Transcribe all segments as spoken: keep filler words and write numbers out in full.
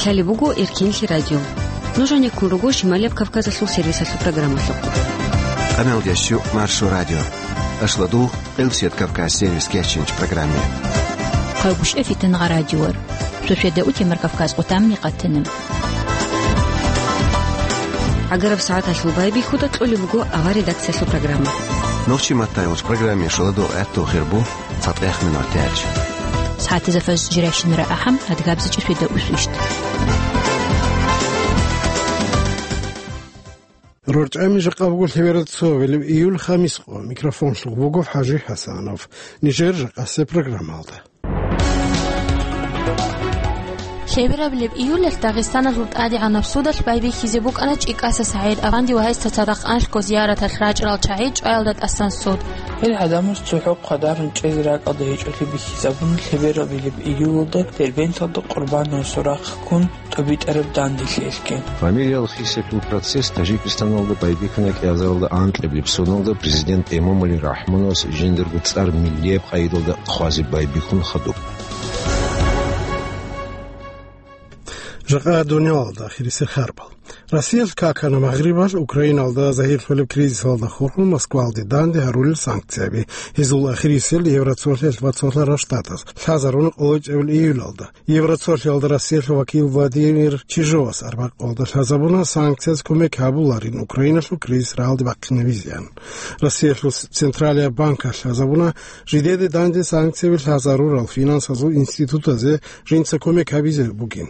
Лъалеб буго Эркенлъи радио. Нуж гӀенеккун руго Шималияб Кавказалъул сервисалъул программалъухъ. Къамелдеш Маршо радио. Ашладу, Къилбсият Кавказ сервис кечинч программе. Хъавгушев Фитанга радиор. Шошеда утемар Кавказ къутамни къатана. ГӀагараб сагӀаталъул байбихьуда кьолеб буго авар редакциялъул программа. Нохчи маттайолч программе шаладу гӀатту хирбу. Цадгъех минут тяч. СагӀатазда фаз жирайщинара ахӀам, адгабзичӀеб сведа усвищ. РорчӀами жакъа буго лъеберал цо велев июль хамис къо. Микрофонлъугъ буго ХӀажи ХӀасанов. Нижер жакъасеб программалда. Лъеберабилеб июлалъ Дагъистаналъул ТӀадегӀанаб судалъ байбихьизе букӀана ЧӀикӀаса СагӀид-афанди ва гьесда цадахъ анлъго зияраталъ рачӀарал чагӀи чӀваялда тӀасан суд. Гьел гӀадамаз цохӀо хъвадарун чӀезе ракӀалда гьечӀолъи бихьизабуна лъеберабилеб июлалда Дербенталда Къурбанов Сурахъ ккун тӀубитӀараб данделъиялъги. Фамилиял хисиялъул процесс Тажикистаналда байбихьана кӀиазаралда анкьабилеб соналда президент Эмомали Рахмоновас жиндирго цӀар миллияб къайдалда хъвазе байбихьун хадуб. Жакъа дуниялалда ахирисел харбал. Россиялъ какана Магърибалъ Украиналда загьирлъулеб кризисалда хурхун Москвалде данде гьарулел санкцияби. Гьезул ахирисел Евроцолъиялъ ва Цолъарал Штатаз лъазаруна къоло чӀебил июлалда. Евроцолъиялда Россиялъул вакил Владимир Чижовас арбякъалда лъазабуна санкцияз кумек гьабуларин Украиналъул кризис рагӀалде бахъинабизеян. Россиялъул Централияб банкалъ лъазабуна жидеде данде санкцияби лъазарурал финансазул институтазе жинца кумек гьабизе бугин.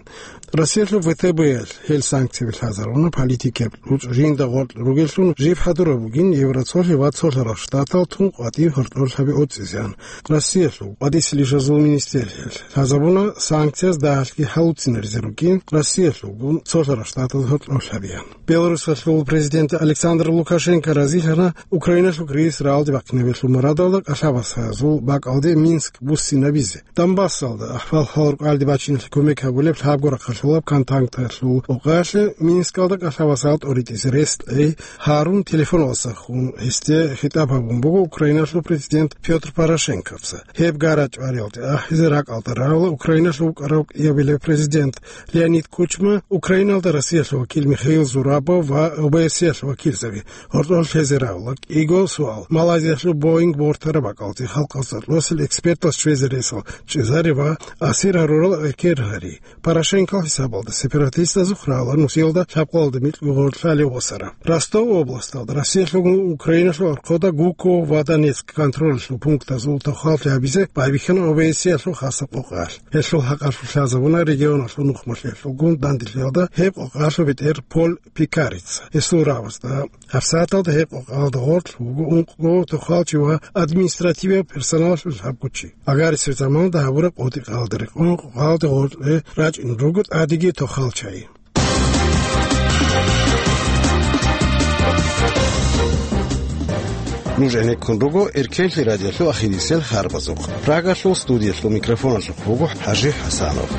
Россиялъул ВТБ-ялъ гьел санкцияби лъазаруна политикияб руцӀ жинда гъоркь ругеллъун жиб хӀадураб бугин Евроцолъи ва Цолъарал Штатал тун къватӀив гьоркьорлъаби оцӀизеян. Россиялъул къватӀисел ишазул министериялъ лъазабуна санкцияз дагьалъги гьалуцинаризел ругин Россиялъулгун Цолъарал Штатаз гьоркьорлъабиян. Беларусалъул президент Александр Лукашенко разилъана Украиналъул кризис рагӀалде бахъинабиялъул мурадалда кӀалъабасазул бакӀалде Минск буссинабизе. Донбассалда ахӀвал-хӀал рукӀалде бачиналъе кумек гьабулеб лъабго рахъалъулаб контакталъул къокъаялъе Минскалда кӀалъабасал тӀоритӀизе рес тӀей гьарун телефоналдаса хун гьесде хитӀаб гьабун буго Украиналъул президент Пётр Порошенковца. Гьеб гара-чӀвариялде ахӀизе ракӀалда рагӀула Украиналъул вукӀарав кӀиабилев президент Леонид Кучма, Украиналда Россиялъул вакил Михаил Зурабов ва ОБСЕялъул вакилзаби. Гьоркьор лъезе рагӀула кӀиго суал. Малайзиялъул Боинг бортараб бакӀалде халкъалъ цӀакъ экспертал щвезе ресал чӀезари ва асир гьарурал экер гьари. Порошенкол хӀисабалда сепаратистазухъ рагӀула Нусиялда лъабкъоялда микьго гъорлъ лъалев восараб. Ростов областалда Россиялъулгун Украиналъул архъода Гуково ва Донецк контролалъул пунктазул тохаллъи гьабизе байбихьана ОБСЕялъул хасаб къокъаялъ. Гьелъул хӀакъалъулъ лъазабуна регионалъул нухмалъиялъулгун данделъиялда гьеб къокъаялъул бетӀер Поль Пикарица. Гьесул рагӀабазда гьабсагӀаталда гьеб къокъаялда гъорлъ вуго ункъго тохалчи ва административияб персоналалъул лъабго чи. Агарисеб заманалда гьабураб къотӀи-къаялда рекъон къокъаялда гъоркье рачӀун руго тӀадеги тохалчи. Нуж гӀенеккун руго Эркенлъи радиолъул ахирисел харбазухъ. Прагалъул студиялъул микрофоналъухъ вуго ХӀажи ХӀасанов.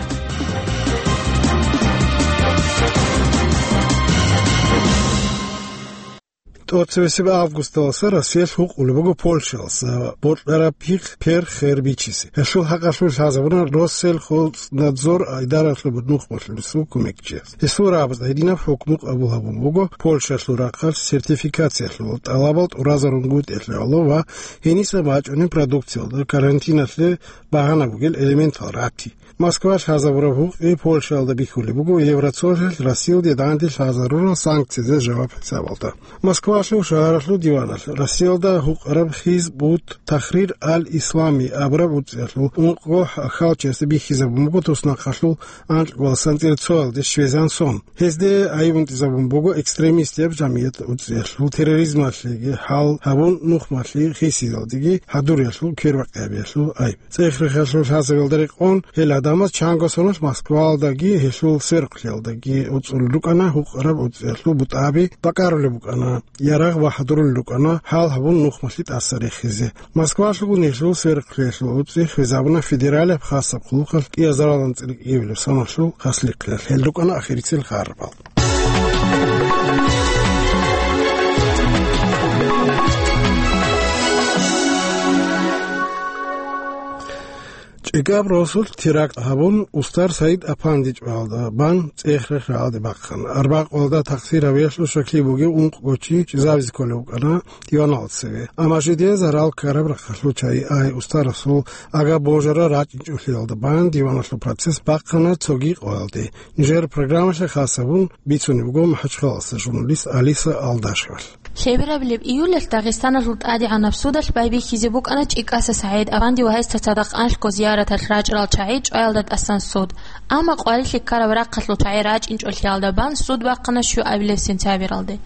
ТӀоцебесеб августалдаса Россиялъ гьукъулеб буго Польшалъ бокьараб пихъ пер-хер бичизе. Гьелъул хӀакъалъулъ лъазабуна Россельхознадзор идаралъул нухмалъулесул кумекчияс. Гьесул рагӀабазда гьединаб хӀукму къабул гьабун буго Польшалъул рахъалъ сертификациялъул тӀалабал тӀуразарунгутӀиялъе гӀоло ва гьениса бачӀунеб продукциялда карантиналъе багьана бугел элементал рати. Москва лъазабураб гьукъи Польшаялда бихьулеб буго Евроцолъиялъ Россиялде данде лъазарурал санкциязда жаваб хӀисабалда. Москвалъул шагьаралъул диваналъ Россиялда гьукъараб Хизб ут-Тахрир ал-Ислами абураб уцӀиялъул ункъго хьалчиясда бихьизабун буго туснахъалъул анкьго валсан цӀерцоялде щвезан сон. Гьезде гӀайиб унтӀизабун буго экстремистияб жамият уцӀиялъул терроризмалъеги хӀал гьабун нухмалъи хисиялдеги хӀадуриялъул квербакъиабиялъул гӀайиб. ЦӀех-рехалъул лъазабиялда рекъон гьел гӀадамаз чанго соналъ Москваялдаги гьелъул сверухълъиялдаги уцӀулел рукӀана гьукъараб уцӀиялъул бутӀаби бакӀарулеб букӀана, ярагъ ва хӀадурулел рукӀана хӀал гьабун нухмалъи тӀаса рехизе. Москвалъулгун гьелъул сверухълъиялъул уцӀи хвезабуна федералияб хасаб хъулухъалъ кӀиазаралан цӀикӀкӀиабилеб соналъул хаслихълъиялъ. Гьел рукӀана ахирисел харбал. ЧӀикӀаб росулъ теракт гьабун, устар СагӀид Апанди чӀваялда бан ЦӀехрех рагӀалде бахъана. Арбакъ гьалда такъсир гьабиялъул щаклъи бугев ункъго чи чӀезабизе кколев вукӀана диваналда цеве. Амма жидее зарал ккараб рахъалъул чагӀи ай устарасул ага божарал рачӀинчӀолъиялда бан диваналъул процесс бахъана цоги къоялде. Нижер программалъе хас гьабун бицунеб буго МахӀачхъалаялъул журналист Алиса Алдашевалъ. Лъеберабилеб июлалъ Дагъистаналъул ТӀадегӀанаб судалъ байбихьизе букӀана ЧӀикӀаса СагӀид Апанди ва гьесда цадахъ анлъго зияраталъ рачӀарал чагӀи чӀваялда тӀасан суд. Амма къварилъи ккараб рахъалъул чагӀи рачӀинчӀолъиялда бан суд бахъана щуабилеб сентябралде.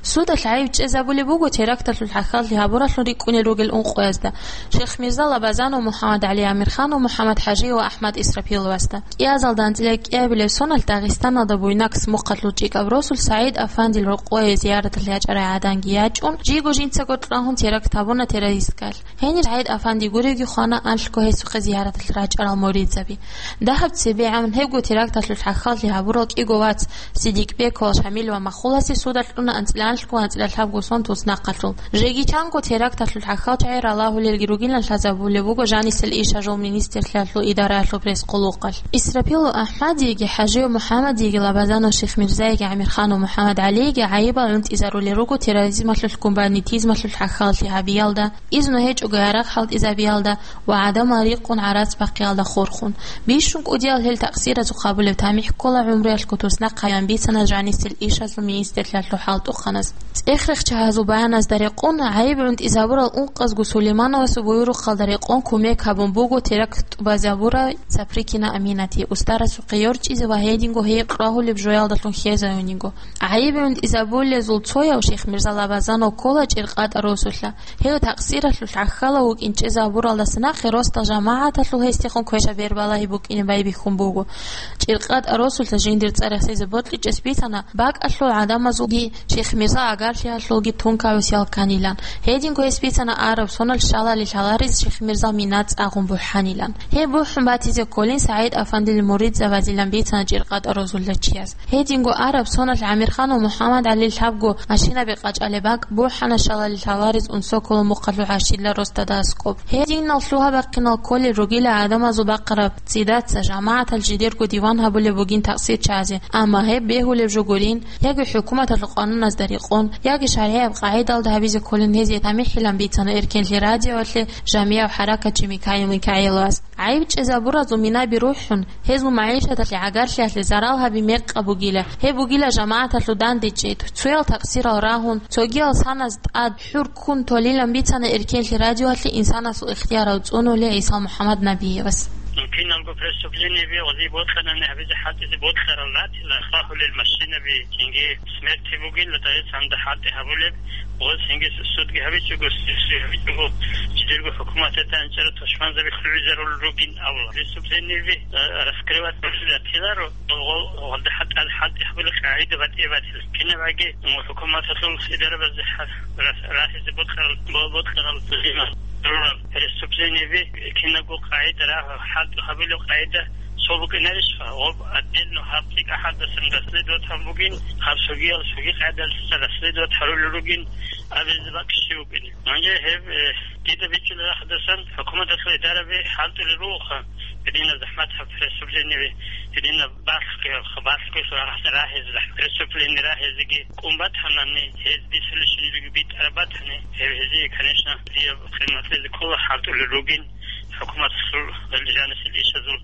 Судалъ гӀайиб чӀезабулеб буго теракталъул хӀахьаллъи гьабуралъун рикӀкӀунел ругел ункъоязда: Шихмирза Лабазанов, МухӀаммад ГӀали Амирханов, МухӀаммад ХӀажи ва АхӀмад Исрапиловасда. КӀиазалда анцӀила кӀиабилеб соналъ Дагъистаналда буйнакс мухъалъул ЧӀикӀаб росулъ СагӀид Афандил рокъое зияраталъ ячӀарай гӀаданги ячӀун, жийго жинцаго рагьун теракт гьабуна террористкаялъ. Гьенир СагӀид Афанди гуревги хвана анлъго гьесухъе зияраталъ рачӀарал муридзаби. Дагьаб цебегӀан гьебго теракталъул хӀахьаллъи гьабурал кӀиго вац Сидикбеков, Шамил ва Махуласе судалъ кьуна анцӀила анлъго анцӀила лъабго сон туснахъалъул. Жеги чанго теракталъул хӀахьалчагӀи ралагьулелги ругилан лъазабулеб буго жанисел ишазул министрлъиялъул идараялъул пресс-къуллукъалъ. Исрапилу АхӀмадиеги, ХӀажиев МухӀаммадиеги, Лабазанов Шихмирзаеги, ГӀамирханов МухӀаммад ГӀалиеги гӀайибал гӀунтӀизарулел руго терроризмалъулъ, гуманитизмалъулъ хӀахьаллъи гьабиялда, изну гьечӀого гьарахъ хӀалтӀизабиялда ва гӀадамал рикъкъун гӀарац бахъиялда хурхун. Бищун кӀудиял гьел такъсиразухъ гьабулеб тамихӀ ккола гӀумруялъго туснахъ гьабиан бицана жанисел ишазул министрлъиялъул хӀалтӀухъанас. ЦӀех-рехчагьазул баяназда рекъон, гӀайиб гӀунтӀизабурал ункъазго Сулеймановасул буюрухъалда рекъон кумек гьабун буго теракт тӀубазабурай Цаприкина Аминати устарасухъе йорчӀизе ва гьединго гьей рагьулеб жоялдалъун хьезаюниго. ГӀайиб гӀунтӀизабулезул цояв Шихмирза Лабазанов ккола ЧӀиркъатӀа росулъа. Гьев такъсиралъулъ гӀахьалав вукӀин чӀезабуралдаса нахъе росдал жамагӀаталъул гьесдехун квешаб бербалагьи букӀине байбихьун буго. ЧӀиркъатӀа росулъа жиндир цӀар яхъизе бокьичӀес бицана бакӀалъул гӀадамазулги Шихмирза агарлъиялъулги тункавесиял кканилан. Гьединго гьес бицана араб соналъ шалали лъаларез Шихмирзал мина цӀагъун бухӀанилан. Гьеб бухӀун батизе кколин СагӀид Афандил муридзабазилан бицана ЧӀиркъатӀа росулъа чияс. Гьединго араб соналъ ГӀамирханов МухӀаммад ГӀалил лъабго машинаби къачӀалеб бакӀ бухӀана шалали лъаларез Унсоколо мухъалъул ГӀащилла росдада аскӀоб. Гьединал лъугьа-бахъинал кколел ругила гӀадамазул бахъараб цӀидаца жамагӀатал жидерго диван гьабулеб бугин такъсирчагӀазе, амма гьеб бегьулеб жо гурин, яги хӀукуматалъул къануназда рекъон, яги шаргӀияб къагӀидалда гьабизе кколин гьезие тамихӀилан бицана Эркенлъи радиоялъе жамияб хӀаракатчи Микаил Микаиловас. ГӀайиб чӀезабуразул минаби рухӀун, гьезул магӀишаталъе, гӀагарлъиялъе зарал гьаби мекъаб бугила, гьеб бугила жамагӀаталъул дандечӀей, цоял такъсирал рагьун, цогиял саназ тӀад хӀур ккун толилан бицана Эркенлъи радиоялъе инсанасул ихтиярал цӀунулев ГӀиса МухӀаммад Набиевас. Киналго преступлениеби гъозие бокьанани гьабизе хӀалтӀизе бокьарал ратила, хъвахьулел машинаби, цинги смерти бугила, дагьес гьанже хӀалтӀи гьабулеб, гъоз цинги судги гьабичӀого, сиси гьабичӀого, жидерго хӀукуматалда анцӀила тушманзаби лъугӀизарулел ругин абула. Преступлениеби, э, раскрывать гьабизе ратиларо, гъо-, гъо-, гъолда хӀалтӀи, хӀалтӀи гьабулел къагӀида батӀи-батила. Кинабаги, м, хӀукуматалъул идарабазде хӀа-, ра-, рахизе бокьарал, бо-, бокьарал зиман рурал преступлениеби, кинабго къагӀида рагьу, хӀалтӀи гьабулеб къагӀида цо букӀинарищха? Гъоб отдельно гьаб цӀикӀкӀа хӀалтӀасан расследовать гьабун бугин, гьаб цогиял цоги къагӀидалъуса расследовать гьарулел ругин абизе бакӀ щиб букӀине. Гьанже гьеб, э, дида бичӀчӀулеб рахъдасан хӀукуматалъул идараби хӀалтӀулел ругоха, гьединаб захӀматаб преступлениеби, гьединаб балъгоялъ, балъгоялъ рагъ-, рагьизе, преступление рагьизеги кӀун батанани, гьез бицулеб щинабиги битӀараб батани, гьеб гьезие, конечно, дие къиматлъизе ккола хӀалтӀулел ругин, хӀукуматалъул жанисел ишазул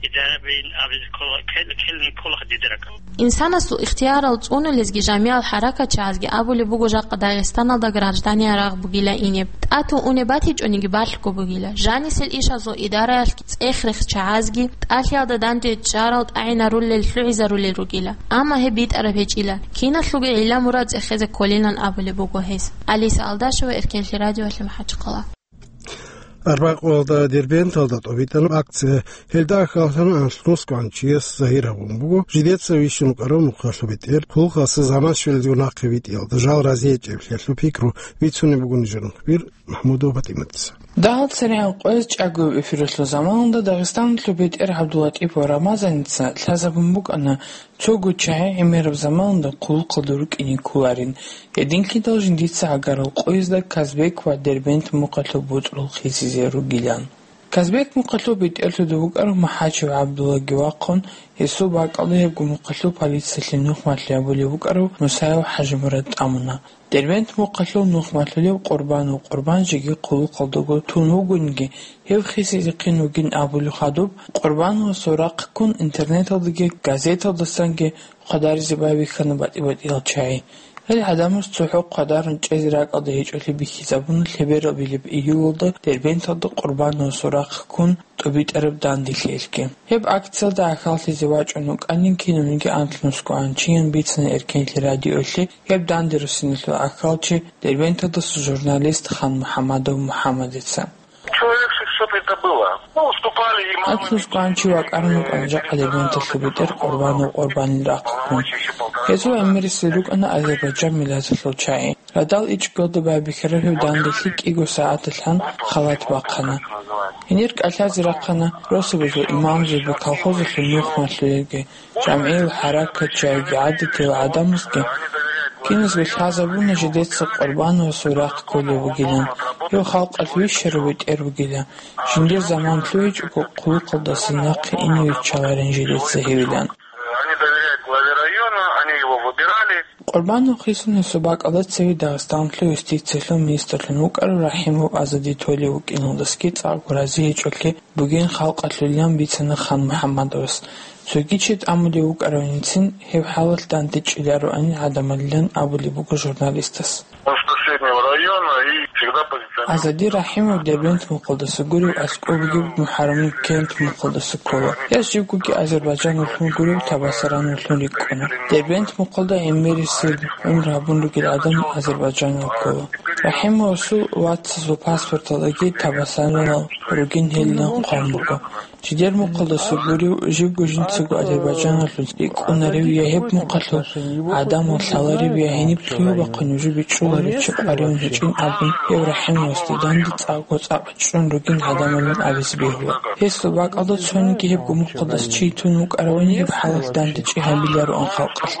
идарабиин абизе ккола, кел-, ккелин ккола дида ракӀалде. Инсанасул ихтиярал цӀунулезги жамиял хӀаракатчагӀазги абулеб буго жакъа Дагъистаналда граждания рагъ бугила инеб. ТӀатун унеб батичӀониги балъго бугила. Жанисел ишазул идараялъги цӀех-рехчагӀазги тӀалъиялда дандечӀарал тӀагӀинарулел лъугӀизарулел ругила. Амма гьеб битӀараб гьечӀила. Киналъулги гӀилла-мурад цӀехезе кколилан абулеб буго гьес. Алиса Алдашева, Эркенлъи радиоялъе, МахӀачхъала. Арбакъуялда Дербенталда тӀобитӀана акция. Гьелда ахьаллъана анлънусго гӀанчияс загьир гьабун буго, жидеца вищун вукӀарав мухъалъуб бетӀер, хъулухъалъа заман щвелалдего нахъе витӀиялда жал разиячӀеблъиялъул пикру бицунеб буго нижер мухбир МахӀмудова ПатӀиматица. Дагьал церегӀан къояз чӀаго эфиралъул заманалда Дагъистаналъул бетӀер ГӀабдуллатӀипов Рамазаница лъазабун букӀана, цого чагӀи гӀемераб заманалда хъулухъалда рукӀине кколарин, гьединлъидал жиндица гӀагарал къоязда Казбек ва Дербент мухъалъул боцӀрул хисизе ругилан. Казбек мухъалъул бетӀерлъуда вукӀарав МахӀачев ГӀабдуллаги вахъун, гьесул бакӀалда гьебго мухъалъул полициялъе нухмалъи гьабулев вукӀарав Мусаев ХӀажимурад тӀамуна. Дербент мухъалъул нухмалъулев Къурбанов Къурбан жеги хъулухъалдаго тун вугониги, гьев хисизехъин вугин абулев хадуб, Къурбановасул рахъ ккун интернеталдаги газеталдасанги хъвадаризе байбихьана батӀи-батӀиял чагӀи. Гьел гӀадамаз цохӀо хъвадарун чӀезе ракӀалде гьечӀолъи бихьизабуна лъеберал билеб июлалда Дербенталда Къурбановасул рахъ ккун тӀубитӀараб данделъиялъги. Гьеб акциялда ахьаллъизе вачӀун вукӀанин кинавниги анлънусго анчиян бицана Эркенлъи радиоялъе гьеб данде руссиналъул ахьалчи, Дербенталдаса журналист Хан МухӀаммадов МухӀаммадица. Человек шестьсот это было. Ну, выступали имамы. Анлънусго анчи вакӀарун вукӀана жакъа Дербенталъул бетӀер Къурбанов Къурбанил рахъ ккун. Гьезул гӀемерисел рукӀана Азербайджан миллаталъул чагӀи. Радал ичӀго байбихьараб гьев данделъи кӀиго сагӀаталъан халат бахъана. Гьенир кӀалъазе рахъана росабазул имамзаби, колхозалъул нухмалъулелги, жамгӀиял хӀаракатчияги, гӀадатиял гӀадамазги. Киназго лъазабуна жидеца Къурбановасул рахъ кколев вугилан, гьев халкъалъ вищарав бетӀер вугилан, жиндир заман лъугьичӀого хъулухъалдаса нахъе ине виччаларин жидеца гьевилан. Они доверяют главе района, они его выбирали. Къурбанов хисун гьесул бакӀалда цеве Дагъистаналъул юстициялъул министрлъун вукӀарав РахӀимов Азади толев вукӀиналдасаги цӀакъго рази гьечӀолъи бугин халкъалъулилан бицана Хан МухӀаммадовас. Цоги чи тӀамулев вукӀаравинцин гьеб хӀалалъ дандечӀилароанин гӀадамалилан абулеб буго журналистас. Он с соседнего района и всегда позиционирует. Азади РахӀимов Дербент мухъалдаса гурев, аскӀоб бугеб МухӀарамил кент мухъалдаса ккола. Гьес живгоги Азербайджаналъул гурев, Табасараналъул рикӀкӀуна. Дербент мухъалда гӀемерисел гӀумру гьабун ругел гӀадамал Азербайджаналъ ккола. РахӀимовасул вацазул паспорталдаги Табасаранал ругин гьелилан хъван буго. Жидер мухъалдаса гурев, живго жинцаго Азербайджаналъул рикӀкӀунарев я гьеб мухъалъул гӀадамал лъаларев, я гьениб лъугьа-бахъун нужее бичӀчӀуларев чи къваригӀун гьечӀин абун, гьев РахӀимовасда данде цӀакъго цӀакъ чӀун ругин гӀадамалин абизе бегьула. Гьесул бакӀалда цониги гьебго мухъалдаса чи тун вукӀаравани гьеб хӀалалъ дандечӀи гьабилароан халкъалъ.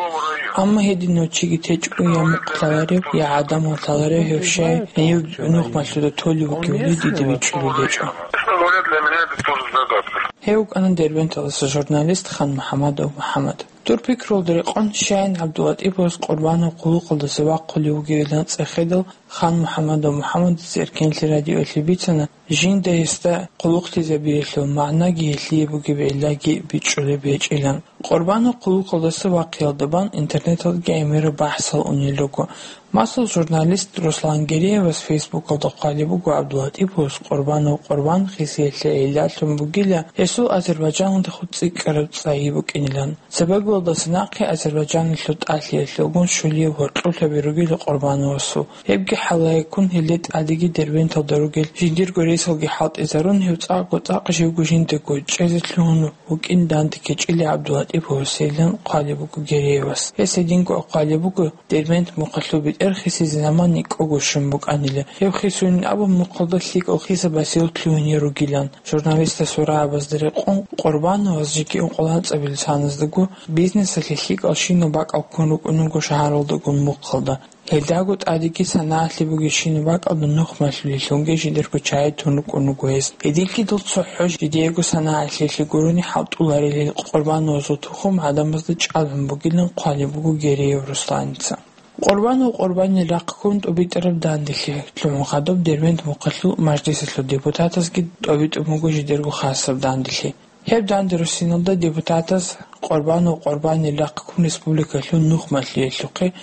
Амма гьединав чиги течӀого я мухъ лъаларев, я гӀадамал лъаларев гьев щай гьенив нухмалъуда толев вугевали дида бичӀчӀулеб гьечӀо. Честно говоря, для меня это тоже загадка. Гьев вукӀана Дербенталдаса журналист Хан МухӀаммадов МухӀаммад. Дур пикрулда рекъон, щайин ГӀабдулатӀиповас Къурбанов хъулухъалдаса вахъулев вугевилан цӀехедал, Хан МухӀаммадов МухӀаммадица Эркенлъи радиоялъе бицана, жинда гьесда хъулухълъизабиялъул магӀнаги гьелъие бугеб гӀиллаги бичӀчӀулеб гьечӀилан. Къурбанов хъулухъалдаса вахъиялда бан интернеталдаги гӀемераб бахӀсал унел руго. Масал, журналист Руслан Гереевас Фейсбукалда хъвалеб буго ГӀабдулатӀиповас Къурбанов Къурбан хисиялъе гӀиллалъун бугила, гьесул Азербайджаналдехун цӀикӀкӀараб цӀайи букӀинилан. Цебеголдаса нахъе Азербайджаналъул тӀалъиялъулгун щулияб гьоркьоб лъаби ругила Къурбановасул. Гьебги хӀалаяккун, гьелде тӀадеги Дербенталда ругел жиндирго ресалги хӀалтӀизарун, гьев цӀакъго цӀакъ живго жиндаго чӀезе лъугьун вукӀин дандекечӀила ГӀабдулатӀиповас гьелилан хъвалеб буго Гереевас. Гьес гьединго хъвалеб буго, Дербент мухъалъул бетӀер хисизе заман никӀого щун букӀанила. Гьев хисунин абун мухъалда лъикӀал хисаб басиялъ лъугьине ругилан. Журналистас гьурабазда рекъон, Къурбановас жеги ункъоялда анцӀабилеб саназдаго бизнесалъе лъикӀал щинаб бакӀал ккун рукӀун руго шагьаралдагун мухъалда. Гьелдаго тӀадеги санагӀалъи бугебщинаб бакӀалда нухмалъулелъунги жидерго чагӀи тун рукӀун руго гьес. Гьединлъидал цохӀо жидеего санагӀалъиялъе гурони хӀалтӀуларелил Къурбановасул тухум гӀадамазда чӀалгӀун бугилан хъвалеб буго Гереев Русланица. Къурбанов Къурбанил рахъ ккун тӀубитӀараб данделъи лъугӀун хадуб Дербент мухъалъул мажлисалъул депутатазги тӀобитӀун буго жидерго хасаб данделъи. Гьеб данде руссиналда депутатаз Къурбанов Къурбанил рахъ ккун республикалъул нухмалъиялъухъе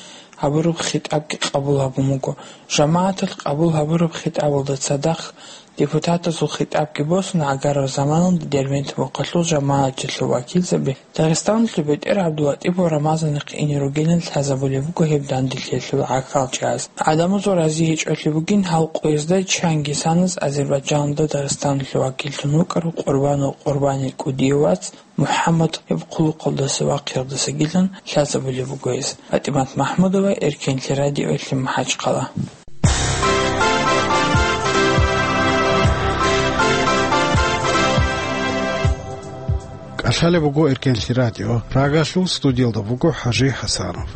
гьабураб хитӀабги къабул гьабун буго. ЖамагӀаталъ къабул гьабураб хитӀабалда цадахъ депутатазул хитӀабги босун гӀагараб заманалда Дербент мухъалъул жамагӀатчилъул вакилзаби Дагъистаналъул бетӀер ГӀабдулатӀипов Рамазанихъе ине ругилан лъазабулеб буго гьеб данделъиялъул гӀахьалчагӀаз. ГӀадамазул рази гьечӀолъи бугин гьал къоязда чанги саназ Азербайджаналда Дагъистаналъул вакиллъун вукӀарав Къурбанов Къурбанил кӀудияв вац МухӀаммад гьеб хъулухъалдаса вахъиялдасагилан лъазабулеб буго гьес. ПатӀимат МахӀмудова, Эркенлъи радиоялъе, МахӀачхъала. КӀалъалеб буго Эркенлъи радио. Прагалъул студиялда буго ХӀажи ХӀасанов.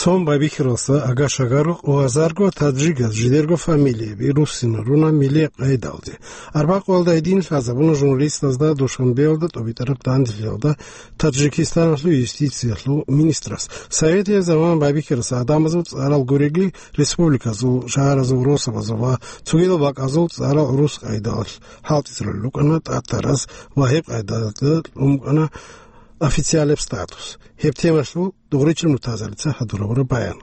Цо байбихьаралдаса агар-шагар рукъ ва азарго таджигаз жидерго фамилияби руссинал руна милияб къайдалде. Арбакъоялда гьедин лъазабуна журналистазда Душанбеялда тӀубитӀараб данделъиялда Таджикистаналъул юстициялъул министрас. Советияб заман байбихьаралдаса гӀадамазул цӀарал гурелги республиказул, шагьаразул росабазул ва цогидал бакӀазул цӀарал гӀурус къайдалъ хӀалтӀизарулел рукӀана тӀатараз ва гьеб къайдалда кьун букӀана официалияб статус. Гьеб темалъул Дугъричил Муртазалица гьадурабураб баян.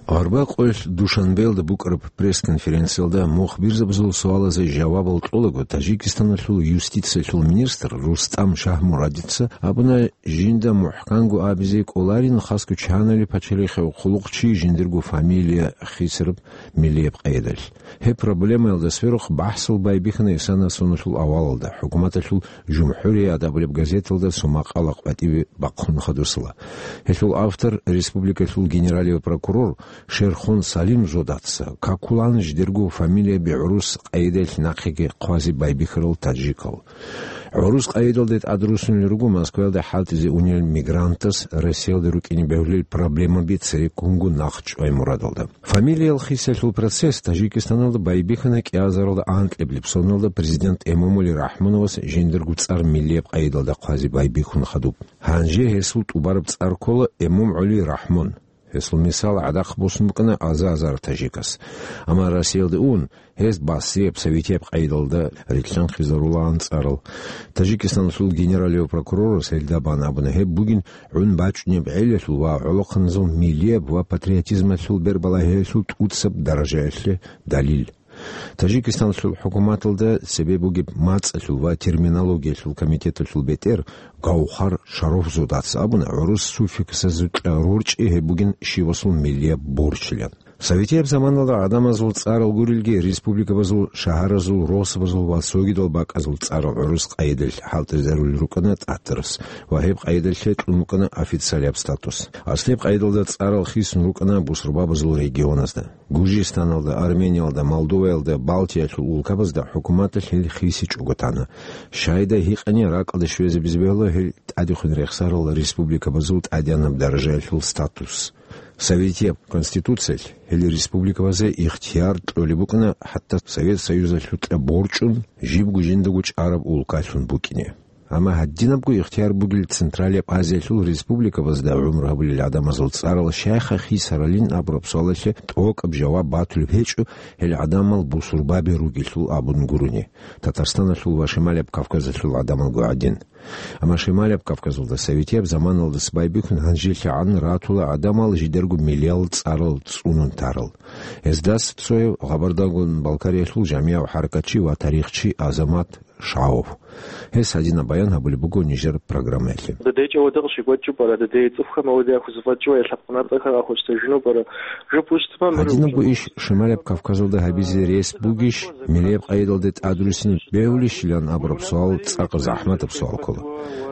Арбакъоялъ Душанбеялда букӀараб пресс-конференциялда мухбирзабазул суалазе жавабал кьолаго, Таджикистаналъул юстициялъул министр Рустам Шагьмурадица абуна, жинда мухӀканго абизе кӀоларин хасго чанали пачалихъе хъулухъчи жиндирго фамилия хисараб милияб къайдалъ. Гьеб проблемаялда сверухъ бахӀсал байбихьана исана соналъул авалалда, хӀукуматалъул «ЖумхӀурият» абулеб газеталда цо макъала къватӀибе бахъун хадусала. Гьелъул автор республикалъул генералияв прокурор Шерхон Салим Зодаца какулан жидерго фамилияби гӀурус къайдалъ нахъеги хъвазе байбихьарал таджикал. ГӀурус къайдалде тӀадрусунел руго Москваялда хӀалтӀизе унел мигрантас Россиялда рукӀине бегьулел проблемаби цереккунго нахъчӀвай мурадалда. Фамилиял хисалъул процесс Таджикистаналда байбихьана кӀиазаралда анкьаблеб соналда президент Эмомали Рахмоновас жиндирго цӀар миллияб къайдалда хъвазе байбихьун хадуб. Гьанже гьесул тӀубараб цӀар ккола Эмомгьули Рахмон. Гьесул мисал гӀадахъ босун букӀана аза-азар таджикас. Амма Россиялде ун, гьез басрияб, советияб къайдалда рилълъанхъизарулаан цӀарал. Таджикистаналъул генералияв прокурорас гьелда бан абуна, гьеб бугин гӀун бачӀунеб гӀелалъул ва гӀолохъаназул миллияб ва патриотизмалъул бербалагьиялъул тӀуцаб даражаялъе далил. Таджикистаналъул хӀукуматалда цебе бугеб мацӀалъул ва терминологиялъул комитеталъул бетӀер Гавхар Шарофзодаца абуна, гӀурус суффиксазукьа рорчӀи гьеб бугин щивасул миллияб борчлъан. Советияб заманалда гӀадамазул цӀарал гурелги, республикабазул, шагьаразул, росабазул ва цогидал бакӀазул цӀарал гӀурус къайдалъ хӀалтӀизарулел рукӀана тӀатарас ва гьеб къайдалъе кьун букӀана официалияб статус. Аслияб къайдалда цӀарал хисун рукӀана бусурбабазул регионазда: Гуржистаналда, Армениялда, Молдоваялда, Балтиялъул улкабазда хӀукуматалъ гьел хисичӀого тана. Щайдай гьикъани, ракӀалде щвезабизе бегьула гьел тӀадехун рехсарал республикабазул тӀадегӀанаб даражаялъул статус. Советияб Конституциялъ гьел республикабазе ихтияр кьолеб букӀана хӀатта Совет Союзалъукьа борчӀун, жибго жиндаго чӀараб улкалъун букӀине. Амма гьадинабго ихтияр бугел Централияб Азиялъул республикабазда гӀумру гьабулел гӀадамазул цӀарал щайха хисаралин абураб суалалъе тӀокӀаб жаваб батулеб гьечӀо, гьел гӀадамал бусурбаби ругелъул абун гурони, Татарстаналъул ва Шималияб Кавказалъул гӀадамалго гӀадин. Амма Шималияб Кавказалда советияб заманалдаса байбихьун гьанжелъагӀан ратула гӀадамал жидерго миллияб цӀарал цӀунун тарал. Гьездаса цояв Гъабардагун Балкариялъул жамигӀав хӀаракатчи ва тарихчи Азамат Шаов. Гьес гьадинаб баян гьабулеб буго нижер программаялъе. Дадечи авадагъ щибачӀу пара, дадей цӀухъа мавлидиахъ хузуфачӀу ва лъабкъунар цӀакъа ахъуцӀта жуну пара. Жо пусть тумам. Гьадинабго иш Шималияб Кавказалда гьабизе рес бугищ, миллияб къайдалде тӀадрусин бегьулищилан абураб суал цӀакъ захӀматаб суал ккола.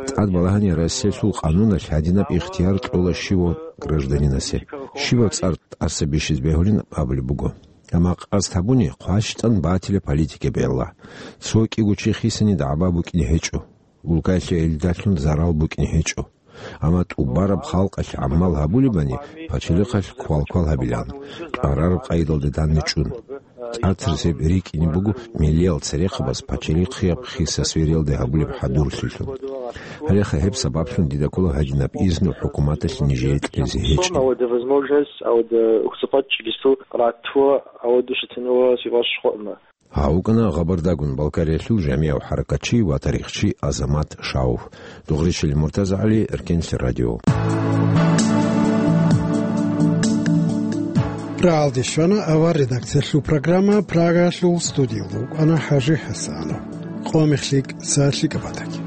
ТӀад балагьани Россиялъул къануналъ гьадинаб ихтияр кьола щивав гражданинасе, щивав цӀар тӀаса бищизе бегьулин абулеб буго. Амма къасд гьабуни, хъващтӀан батила политика бегьула. Цо кӀиго чи хисани дагӀба букӀине гьечӀо. Улкаялъе гьелдалъун зарал букӀине гьечӀо. Амма тӀубараб халкъалъ гӀамал гьабулебани, пачалихъалъ квалквал гьабилан, кьарараб къайдалде данде чӀун. ТӀатарасеб рикӀкӀине буго миллиял церехъабаз пачалихъияб хисас вериялде гьабулеб хӀадурлъилъун. Гьалеха гьеб сабаблъун дида ккола гьадинаб изну хӀукуматалъ нижее кьезе гьечӀеб. Гьавада возможность, гьавада хусапат чилису ратуа, гьавада шатануа сивас шхъуна. Гьав вукӀана Гъабардагун Балкариялъул жамигӀав хӀаракатчи ва тарихчи Азамат Шаов. Дугъричил Муртазагьали, Эркенлъи радио. Рагьалде щвана авар редакциялъул программа, Прагаялъул студиялда вукӀана ХӀажи ХӀасанов. Къо мехлъи, са лъикӀаб батаги.